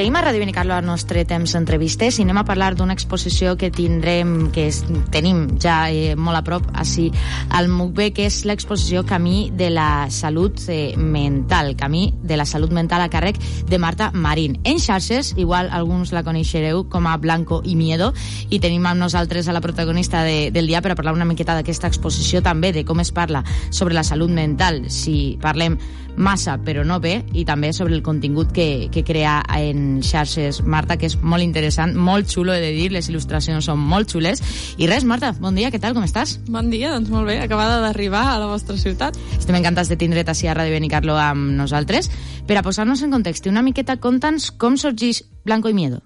seguim a Ràdio Benicarló al nostre temps d'entrevistes i anem a parlar d'una exposició que tenim ja molt a prop així al MUCB, que és l'exposició Camí de la Salut Mental, Camí de la Salut Mental a càrrec de Marta Marín. En xarxes, igual alguns la coneixereu com a Blanco y Miedo, i tenim amb nosaltres a la protagonista del dia per a parlar una miqueta d'aquesta exposició, també de com es parla sobre la salut mental, si parlem massa però no bé, i també sobre el contingut que crea en xarxes Marta, que és molt interessant, molt xulo, he de dir, les il·lustracions són molt xules. I res, Marta, bon dia, què tal, com estàs? Bon dia, doncs molt bé, acabada d'arribar a la vostra ciutat. Estem encantats de tindre't així a Ràdio Benicarló amb nosaltres. Per a posar-nos en context, una miqueta, conta'ns com sorgeix Blanco y Miedo.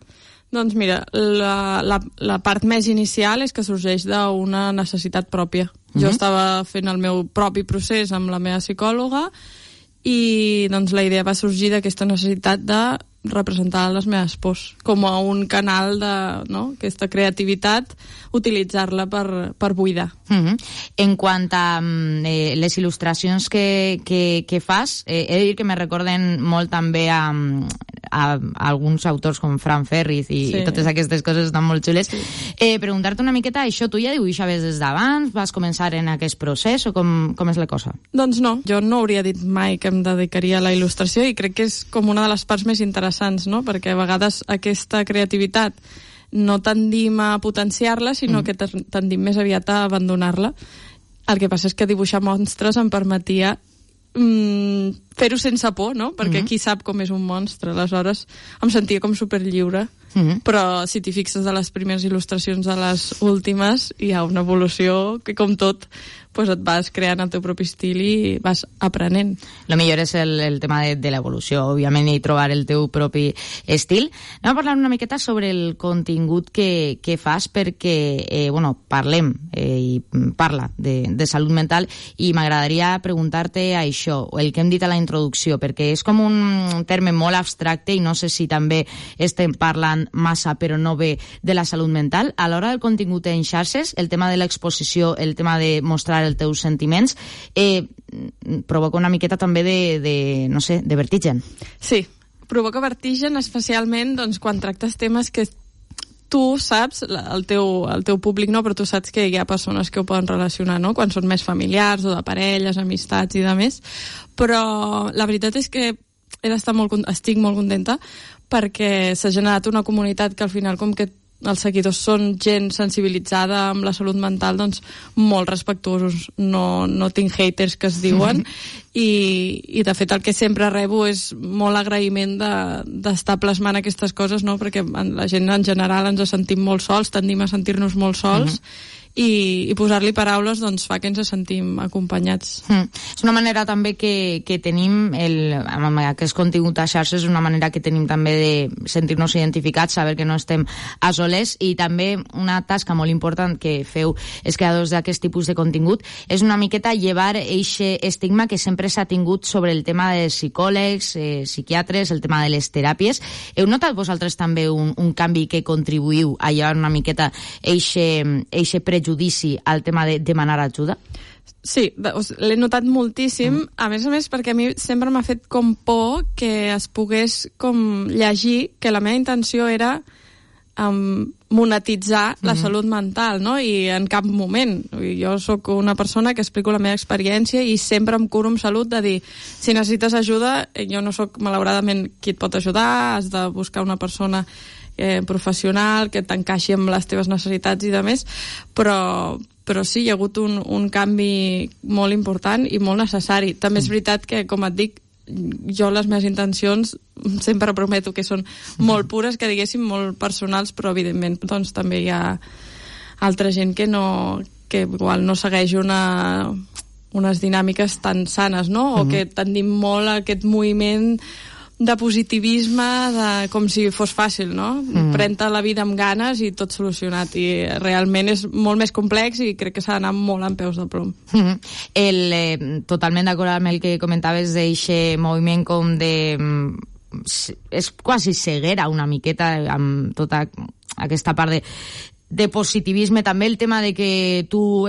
Doncs mira, la part més inicial és que sorgeix d'una necessitat pròpia. Jo estava fent el meu propi procés amb la meva psicòloga i doncs la idea va sorgir d'aquesta necessitat de representar les meves pors com a un canal de, no?, aquesta creativitat, utilitzar-la per buidar. En quant a les il·lustracions que fas, he de dir que me recorden molt també a alguns autors com Fran Ferriz i totes aquestes coses estan molt xules. Preguntar-te una miqueta, això tu ja dibuixaves des d'abans? Vas començar en aquest procés o com és la cosa? Doncs no, jo no hauria dit mai que em dedicaria a la il·lustració, i crec que és com una de les parts més interessants, no? Perquè a vegades aquesta creativitat no tendim a potenciar-la, sinó que tendim més aviat a abandonar-la. El que passa és que dibuixar monstres em permetia fer-ho sense por, no? Perquè qui sap com és un monstre. Aleshores em sentia com superlliure. Però si t'hi fixes de les primeres il·lustracions a les últimes, hi ha una evolució que, com tot, pues et vas creant el teu propi estil i vas aprenent. Lo millor és el tema de l'evolució, òbviament, i trobar el teu propi estil. Anem a parlar una miqueta sobre el contingut que fas, perquè, parlem i parla de salut mental, i m'agradaria preguntar-te això, el que hem dit a la introducció, perquè és com un terme molt abstracte i no sé si també estem parlant massa però no bé de la salut mental. A l'hora del contingut en xarxes, el tema de l'exposició, el tema de mostrar els teus sentiments, provoca una miqueta també de vertigen. Sí, provoca vertigen, especialment doncs, quan tractes temes que tu saps, el teu públic no, però tu saps que hi ha persones que ho poden relacionar, no?, quan són més familiars o de parelles, amistats i de més. Però la veritat és que estic molt contenta perquè s'ha generat una comunitat que al final, com que els seguidors són gent sensibilitzada amb la salut mental, doncs molt respectuosos, no tinc haters que es diuen, i de fet el que sempre rebo és molt agraïment d'estar plasmant aquestes coses, no? Perquè la gent en general ens sentim molt sols, tendim a sentir-nos molt sols, i posar-li paraules doncs fa que ens sentim acompanyats. És una manera també que tenim amb aquest contingut a xarxes, és una manera que tenim també de sentir-nos identificats, saber que no estem a soles, i també una tasca molt important que feu els creadors d'aquest tipus de contingut és una miqueta llevar eixe estigma que sempre s'ha tingut sobre el tema de psicòlegs, psiquiatres, el tema de les teràpies. Heu notat vosaltres també un canvi que contribuïu a llevar una miqueta eixe prejudici al tema de demanar ajuda? Sí, l'he notat moltíssim, a més perquè a mi sempre m'ha fet com por que es pogués com llegir que la meva intenció era monetitzar la salut mental, no? I en cap moment. Jo sóc una persona que explico la meva experiència i sempre em curo amb salut de dir, si necessites ajuda, jo no sóc malauradament qui et pot ajudar, has de buscar una persona professional que t'encaixi amb les teves necessitats i de més, però sí, hi ha hagut un canvi molt important i molt necessari. També és veritat que, com et dic, jo les meves intencions sempre prometo que són molt pures, que diguéssim molt personals, però evidentment doncs també hi ha altra gent que igual no segueix unes dinàmiques tan sanes, no? O que tendim molt a aquest moviment de positivisme, com si fos fàcil, no? Pren-te la vida amb ganes i tot solucionat, i realment és molt més complex i crec que s'ha d'anar molt amb peus de plom. Totalment d'acord amb el que comentaves d'eixe moviment com de... és quasi ceguera una miqueta amb tota aquesta part de positivisme, també el tema de que tu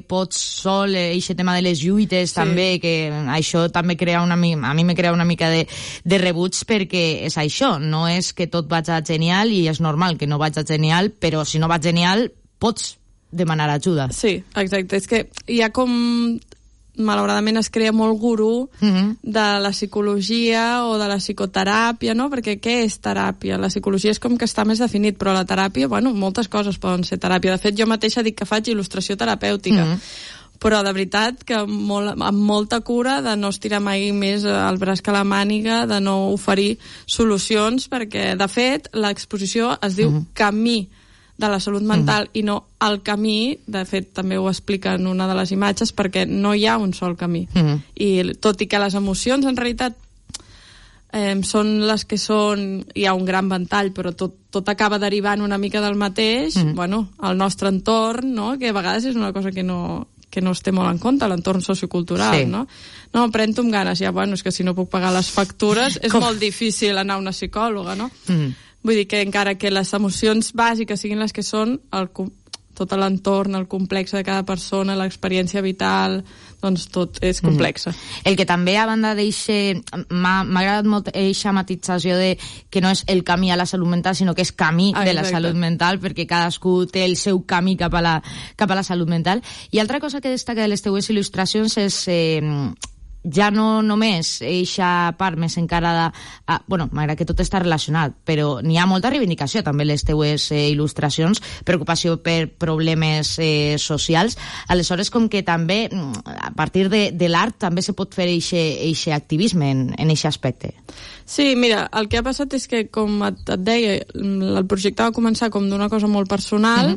pots sol, aquest tema de les lluites també, que això també crea a mi me crea una mica de rebuig, perquè és això, no és que tot vaig genial i és normal que no vaig genial, però si no vaig genial pots demanar ajuda. Sí, exacte, és que hi ha com... malauradament es crea molt gurú de la psicologia o de la psicoteràpia, no? Perquè què és teràpia? La psicologia és com que està més definit, però la teràpia, bueno, moltes coses poden ser teràpia. De fet, jo mateixa dic que faig il·lustració terapèutica, però de veritat que amb molta cura de no estirar mai més el braç que la màniga, de no oferir solucions, perquè, de fet, l'exposició es diu Camí de la salut mental i no el camí. De fet, també ho explica en una de les imatges, perquè no hi ha un sol camí. I tot i que les emocions, en realitat, són les que són... Hi ha un gran ventall, però tot acaba derivant una mica del mateix. Bueno, el nostre entorn, no?, que a vegades és una cosa que no es té molt en compte, l'entorn sociocultural, no? No, pren-t'ho amb ganes, ja, bueno, és que si no puc pagar les factures és molt difícil anar a una psicòloga, no? Vull dir que encara que les emocions bàsiques siguin les que són, tot l'entorn, el complex de cada persona, l'experiència vital, doncs tot és complexa. El que també, a banda m'ha agradat molt aquesta matització de que no és el camí a la salut mental, sinó que és camí de la salut mental, perquè cadascú té el seu camí cap a la salut mental. I altra cosa que destaca de les teues il·lustracions és... ja no només eixa part més encarada bueno, m'agrada que tot està relacionat, però n'hi ha molta reivindicació també les teues il·lustracions, preocupació per problemes socials. Aleshores, com que també a partir de l'art també se pot fer eixe activisme en eixe aspecte. Sí, mira, el que ha passat és que, com et deia, el projecte va començar com d'una cosa molt personal.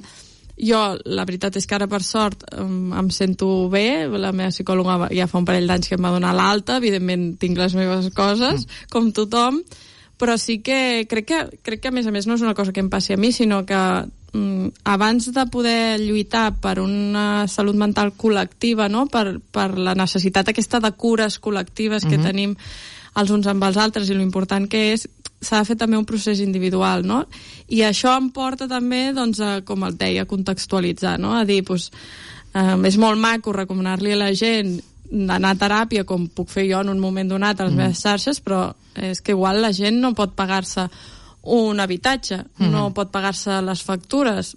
Jo, la veritat és que ara, per sort, em sento bé. La meva psicòloga ja fa un parell d'anys que em va donar l'alta. Evidentment, tinc les meves coses, com tothom, però sí que crec que, a més, no és una cosa que em passi a mi, sinó que abans de poder lluitar per una salut mental col·lectiva, no?, per la necessitat aquesta de cures col·lectives que tenim els uns amb els altres, i l'important que és, s'ha de fer també un procés individual, no? I això em porta també, doncs, com et deia, a contextualitzar, no? A dir, doncs, és molt maco recomanar-li a la gent d'anar a teràpia, com puc fer jo en un moment donat a les meves xarxes, però és que igual la gent no pot pagar-se un habitatge, no pot pagar-se les factures.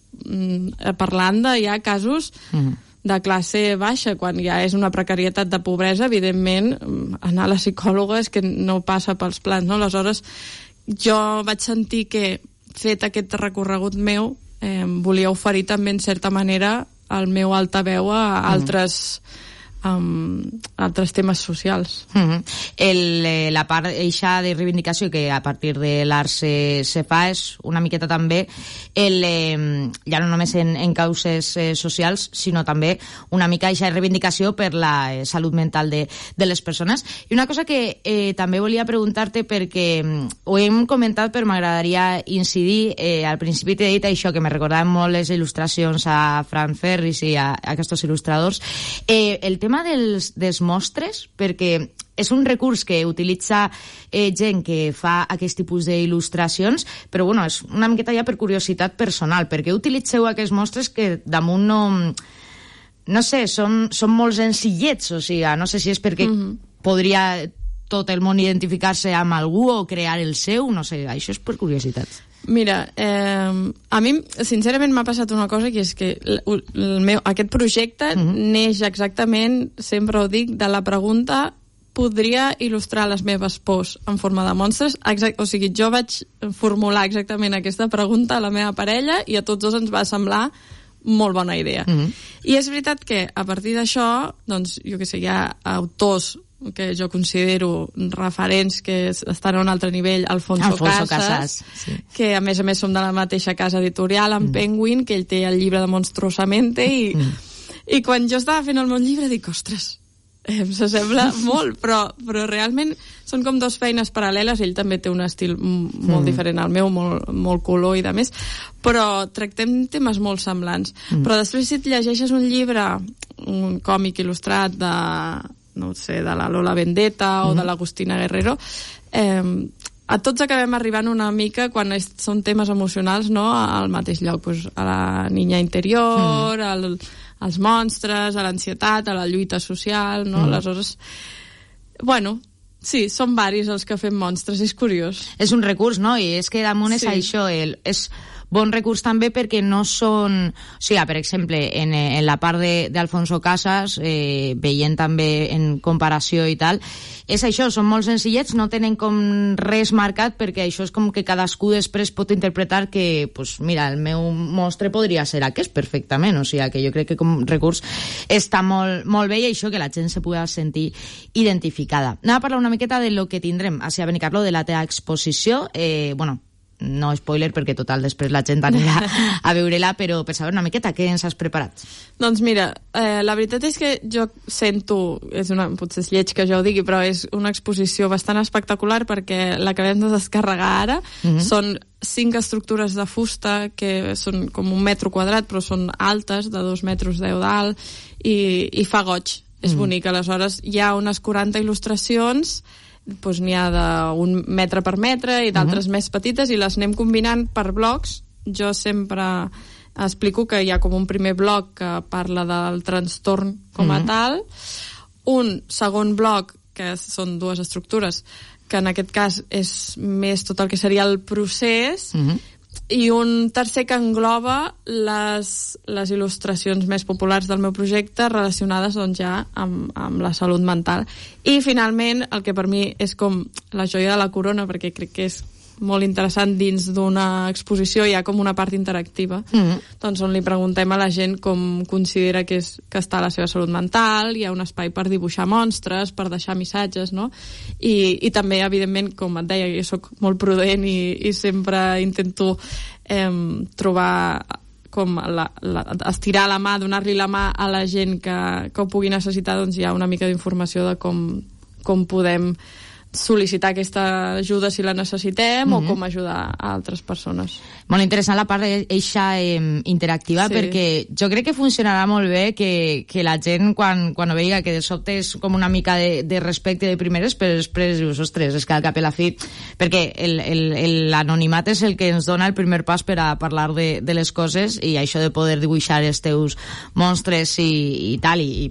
Parlant de hi ha casos de classe baixa, quan ja és una precarietat de pobresa, evidentment, anar a la psicòloga és que no passa pels plans, no? Aleshores, jo vaig sentir que, fet aquest recorregut meu, volia oferir també, en certa manera, el meu altaveu a altres temes socials. La part eixa de reivindicació que a partir de l'art se fa és una miqueta també ja no només en causes socials, sinó també una mica eixa reivindicació per la salut mental de les persones. I una cosa que també volia preguntar-te, perquè ho hem comentat però m'agradaria incidir, al principi t'he dit això, que me recordaven molt les il·lustracions a Frank Ferris i a aquests il·lustradors, el tema dels mostres, perquè és un recurs que utilitza gent que fa aquest tipus d'il·lustracions, però bueno, és una miqueta ja per curiositat personal. Per què utilitzeu aquests mostres que damunt no sé, són molt senzillets? O sigui, no sé si és perquè podria tot el món identificar-se amb algú o crear el seu, no sé, això és per curiositat. Mira, a mi sincerament m'ha passat una cosa, que és que aquest projecte neix exactament, sempre ho dic, de la pregunta: podria il·lustrar les meves pors en forma de monstres? O sigui, jo vaig formular exactament aquesta pregunta a la meva parella i a tots dos ens va semblar molt bona idea. I és veritat que a partir d'això, doncs, jo què sé, hi ha autors que jo considero referents que estan a un altre nivell, Alfonso Casas, que a més som de la mateixa casa editorial, amb Penguin, que ell té el llibre de Monstruosamente, i quan jo estava fent el meu llibre dic, ostres, s'assembla molt, però realment són com dues feines paral·leles. Ell també té un estil molt diferent al meu, molt color i de més, però tractem temes molt semblants. Però després, si et llegeixes un llibre, un còmic il·lustrat de, no sé, de la Lola Vendetta o de l'Agustina Guerrero, a tots acabem arribant una mica, quan són temes emocionals, no?, al mateix lloc, pues, a la niña interior, als monstres, a l'ansietat, a la lluita social, no? Aleshores, bueno, sí, són varis els que fem monstres, és curiós. És un recurs, no? I és que damunt és això, és bon recurs també perquè no són... O sigui, per exemple, en la part d'Alfonso Casas, veient també en comparació i tal, és això, són molt senzillets, no tenen com res marcat, perquè això és com que cadascú després pot interpretar que, pues, mira, el meu monstre podria ser aquest perfectament, o sigui, que jo crec que com recurs està molt bé i això que la gent se pugui sentir identificada. Anem a parlar una miqueta de lo que tindrem a Benicarló, de la teva exposició, bueno, no spoiler perquè total després la gent anirà a veure-la, però per saber una miqueta què ens has preparat. Doncs mira, la veritat és que jo sento, potser és lleig que jo ho digui, però és una exposició bastant espectacular perquè l'acabem de descarregar ara. Són 5 estructures de fusta que són com 1 metre quadrat però són altes, de 2,10 metres d'alt, i fa goig, és bonic. Aleshores hi ha unes 40 il·lustracions, doncs n'hi ha d'1 metre per metre i d'altres més petites, i les anem combinant per blocs. Jo sempre explico que hi ha com un primer bloc que parla del trastorn com a tal, un segon bloc que són 2 estructures que en aquest cas és més tot el que seria el procés, i un tercer que engloba les il·lustracions més populars del meu projecte relacionades doncs, ja amb la salut mental. I finalment el que per mi és com la joia de la corona, perquè crec que és molt interessant, dins d'una exposició hi ha com una part interactiva, doncs on li preguntem a la gent com considera que està la seva salut mental. Hi ha un espai per dibuixar monstres, per deixar missatges, no? I també, evidentment, com et deia, jo soc molt prudent i sempre intento trobar com estirar la mà, donar-li la mà a la gent que ho pugui necessitar. Doncs hi ha una mica d'informació de com podem sol·licitar aquesta ajuda si la necessitem, o com ajudar a altres persones. Molt interessant la part eixa interactiva, perquè jo crec que funcionarà molt bé que la gent quan ho veiga, que de sobte és com una mica de respecte de primeres, però després dius, ostres, és que al cap i la fi, perquè l'anonimat és el que ens dona el primer pas per a parlar de les coses, i això de poder dibuixar els teus monstres i tal, i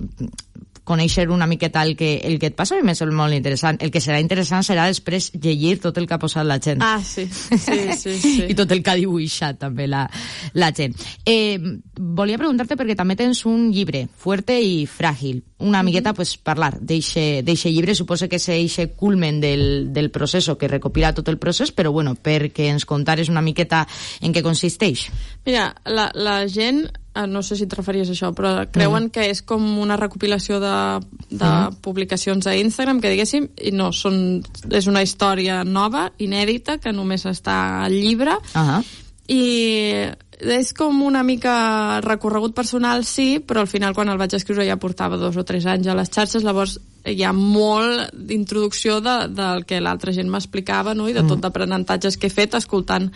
conèixer una miqueta el que et passa, a mi m'és molt interessant. El que serà interessant serà després llegir tot el que ha posat la gent. Ah, sí. I tot el que ha dibuixat també la gent. Volia preguntar-te, perquè també tens un llibre, Fuerte y Frágil, una miqueta pues, parlar d'eixe llibre. Suposo que és eixe culmen del procés, que recopila tot el procés, però bueno, perquè ens contares una miqueta en què consisteix. Mira, la gent, no sé si et referies a això, però creuen que és com una recopilació de publicacions a Instagram, que diguéssim, i no, és una història nova, inèdita, que només està al llibre, i és com una mica recorregut personal, sí, però al final quan el vaig escriure ja portava 2 o 3 anys a les xarxes. Llavors hi ha molt d'introducció del que l'altra gent m'explicava, no? I de tot d'aprenentatges que he fet escoltant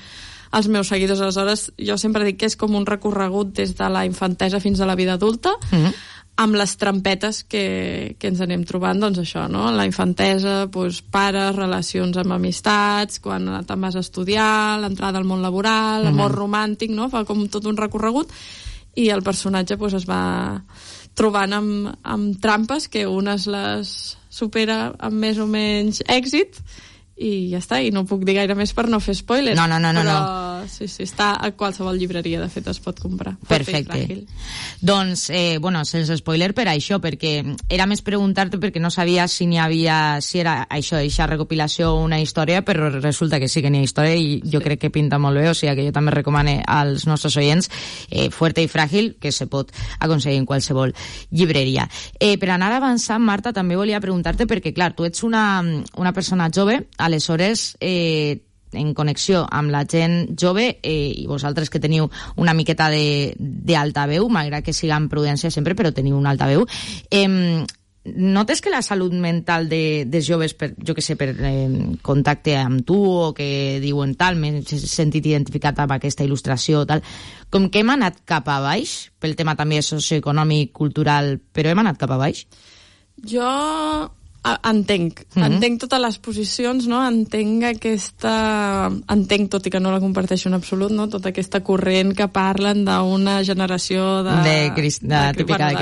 els meus seguidors. Aleshores, jo sempre dic que és com un recorregut des de la infantesa fins a la vida adulta, amb les trampetes que ens anem trobant, doncs això, no? La infantesa, doncs, pares, relacions amb amistats, quan te'n vas a estudiar, l'entrada al món laboral, l'amor romàntic, no? Fa com tot un recorregut, i el personatge doncs, es va trobant amb trampes, que unes les supera amb més o menys èxit, i ja està, i no puc dir gaire més per no fer spoilers. No. Però sí, està a qualsevol llibreria, de fet es pot comprar. Perfecte. Doncs, bueno, sense spoiler per això, perquè era més preguntar-te, perquè no sabia si era això, eixa recopilació o una història, però resulta que sí que n'hi ha història, i jo crec que pinta molt bé, o sigui que jo també recomano als nostres oients Fuerte y Frágil, que se pot aconseguir en qualsevol llibreria. Per anar avançant, Marta, també volia preguntar-te, perquè clar, tu ets una persona jove, aleshores, en connexió amb la gent jove, i vosaltres que teniu una miqueta d'altaveu, malgrat que siga amb prudència sempre, però teniu una altaveu, notes que la salut mental dels joves, jo que sé, per contacte amb tu, o que diuen tal, m'he sentit identificat amb aquesta il·lustració, tal, com que hem anat cap a baix, pel tema també socioeconòmic, cultural, però hem anat cap a baix? Jo entenc totes les posicions, no? Entenc, tot i que no la comparteixo en absolut, no? Tota aquesta corrent que parlen d'una generació de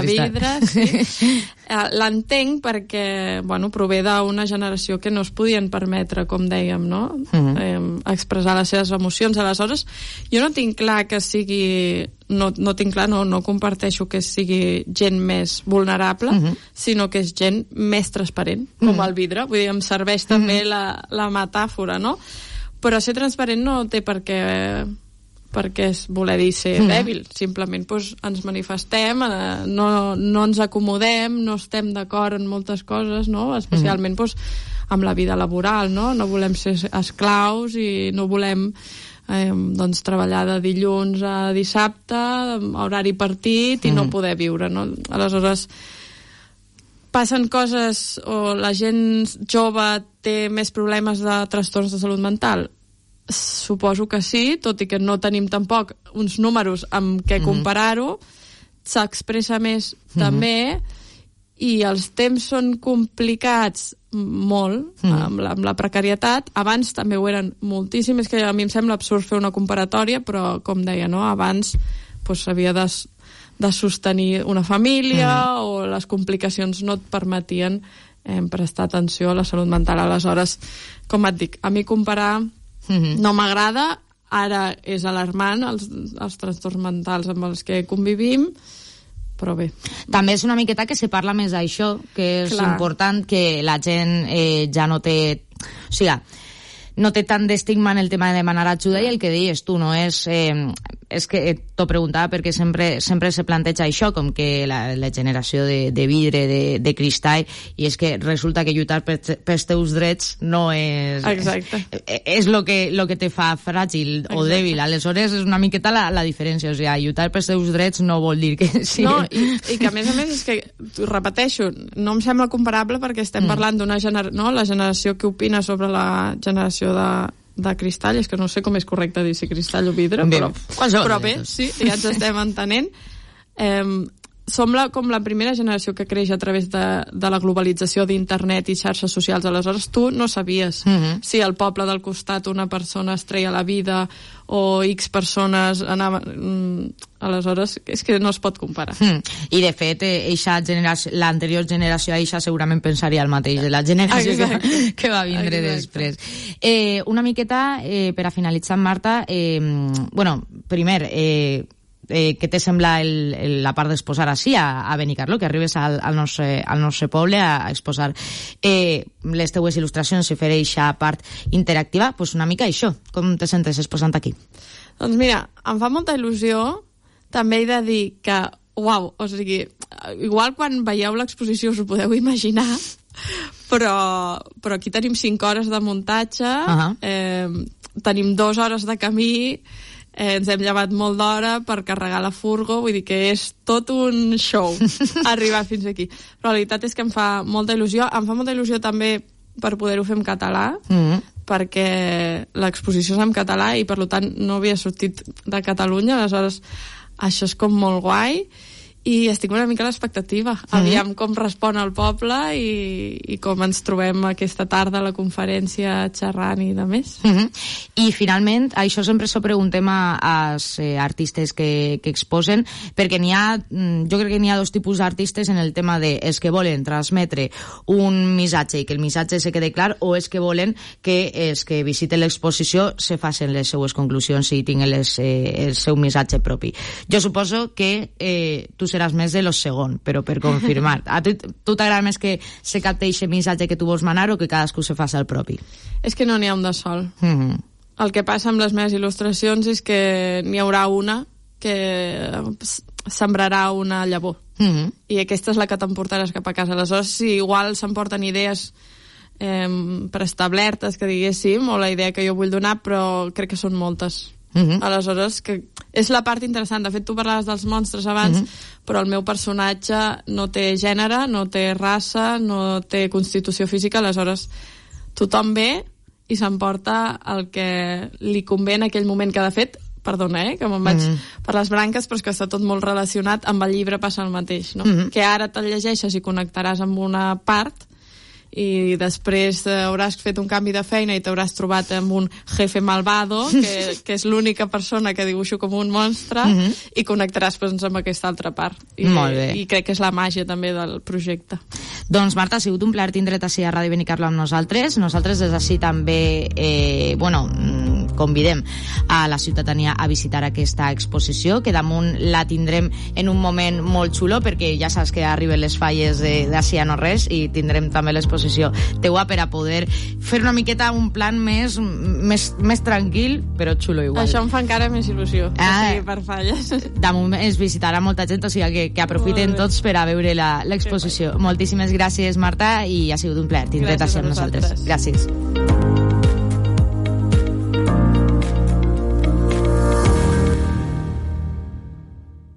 vidre, sí. L'entenc perquè, prové d'una generació que no es podien permetre, com dèiem, no? Expressar les seves emocions. Aleshores, jo no tinc clar que sigui... No comparteixo que sigui gent més vulnerable, sinó que és gent més transparent, com el vidre. Vull dir, em serveix també la metàfora, no? Però ser transparent no té per què voler dir ser dèbil. Simplement ens manifestem, no ens acomodem, no estem d'acord en moltes coses, no? Especialment amb la vida laboral, no? No volem ser esclaus i no volem treballar de dilluns a dissabte, horari partit, i no poder viure, no? Aleshores, passen coses, o la gent jove té més problemes de trastorns de salut mental? Suposo que sí, tot i que no tenim tampoc uns números amb què comparar-ho. S'expressa més també, i els temps són complicats molt, amb la precarietat. Abans també ho eren moltíssim. És que a mi em sembla absurd fer una comparatòria, però, com deia, no? Abans s'havia de sostenir una família, o les complicacions no et permetien prestar atenció a la salut mental. Aleshores, com et dic, a mi comparar no m'agrada. Ara és alarmant els trastorns mentals amb els que convivim, però bé. També és una miqueta que se parla més d'això, que és important, que la gent ja no té... O sigui, no té tant d'estigma en el tema de demanar ajuda, i el que deies tu, no és... És que t'ho preguntava perquè sempre se planteja això, com que la generació de vidre, de cristall, i és que resulta que lluitar pels teus drets no és... Exacte. És lo que te fa fràgil o dèbil. Aleshores és una miqueta la diferència. O sigui, lluitar pels teus drets no vol dir que sí. No, i que a més és que, repeteixo, no em sembla comparable perquè estem parlant d'una generació, no? La generació que opina sobre la generació de cristall, és que no sé com és correcte dir si cristall o vidre, però bé, sí, ja ens estem entenent. Som com la primera generació que creix a través de la globalització d'internet i xarxes socials. Aleshores, tu no sabies si al poble del costat una persona es treia la vida o X persones anaven... Aleshores, és que no es pot comparar. I, de fet, l'anterior generació eixa segurament pensaria el mateix de la generació que va vindre després. Una miqueta, per a finalitzar, Marta, primer... què te sembla la part d'exposar així a Benicarló, que arribes al nostre poble a exposar les teues il·lustracions i fer aquesta part interactiva? Pues una mica això, com te sentes exposant aquí? Doncs mira, em fa molta il·lusió. També he de dir que, uau, o sigui, igual quan veieu l'exposició us ho podeu imaginar, però aquí tenim 5 hores de muntatge, tenim 2 hores de camí, ens hem llevat molt d'hora per carregar la furgo, vull dir que és tot un show arribar fins aquí. Però la veritat és que em fa molta il·lusió. Em fa molta il·lusió també per poder-ho fer en català, perquè l'exposició és en català i per tant no havia sortit de Catalunya, aleshores això és com molt guai, i estic una mica a l'expectativa. Aviam com respon el poble i com ens trobem aquesta tarda a la conferència xerrant i de més. I finalment, això sempre s'ho preguntem als artistes que exposen, perquè jo crec que n'hi ha 2 tipus d'artistes en el tema de els que volen transmetre un missatge i que el missatge se quede clar, o els que volen que els que visiten l'exposició se facin les seues conclusions i tinguin el seu missatge propi. Jo suposo que tu seràs més de lo segon, però per confirmar. A tu t'agrada més que se capte aquest missatge que tu vols manar o que cadascú se faci el propi? És que no n'hi ha un de sol. El que passa amb les meves il·lustracions és que n'hi haurà una que sembrarà una llavor. I aquesta és la que t'emportaràs cap a casa. Aleshores, si igual s'emporten idees preestablertes, que diguéssim, o la idea que jo vull donar, però crec que són moltes. Aleshores, que és la part interessant. De fet, tu parlaves dels monstres abans, però el meu personatge no té gènere, no té raça, no té constitució física, aleshores tothom ve i s'emporta el que li convé en aquell moment, que de fet, perdona, que me'n vaig per les branques, però és que està tot molt relacionat amb el llibre, passa el mateix, no? Que ara te'l llegeixes i connectaràs amb una part i després hauràs fet un canvi de feina i t'hauràs trobat amb un jefe malvado, que és l'única persona que dibuixo com un monstre, i connectaràs amb aquesta altra part. I crec que és la màgia també del projecte. Doncs Marta, ha sigut un plaer tindre't així a Ràdio Benicarló amb nosaltres. Nosaltres des d'ací també convidem a la ciutadania a visitar aquesta exposició, que damunt la tindrem en un moment molt xulo, perquè ja saps que arriben les falles d'ací a no res, i tindrem també l'exposició teua per a poder fer una miqueta un plan més tranquil, però xulo igual. Això em fa encara més il·lusió, que sigui per falles. Damunt es visitarà molta gent, o sigui que aprofiten tots per a veure l'exposició. Moltíssimes gràcies, Marta, i ha sigut un plaer tindre't així amb nosaltres. Gràcies.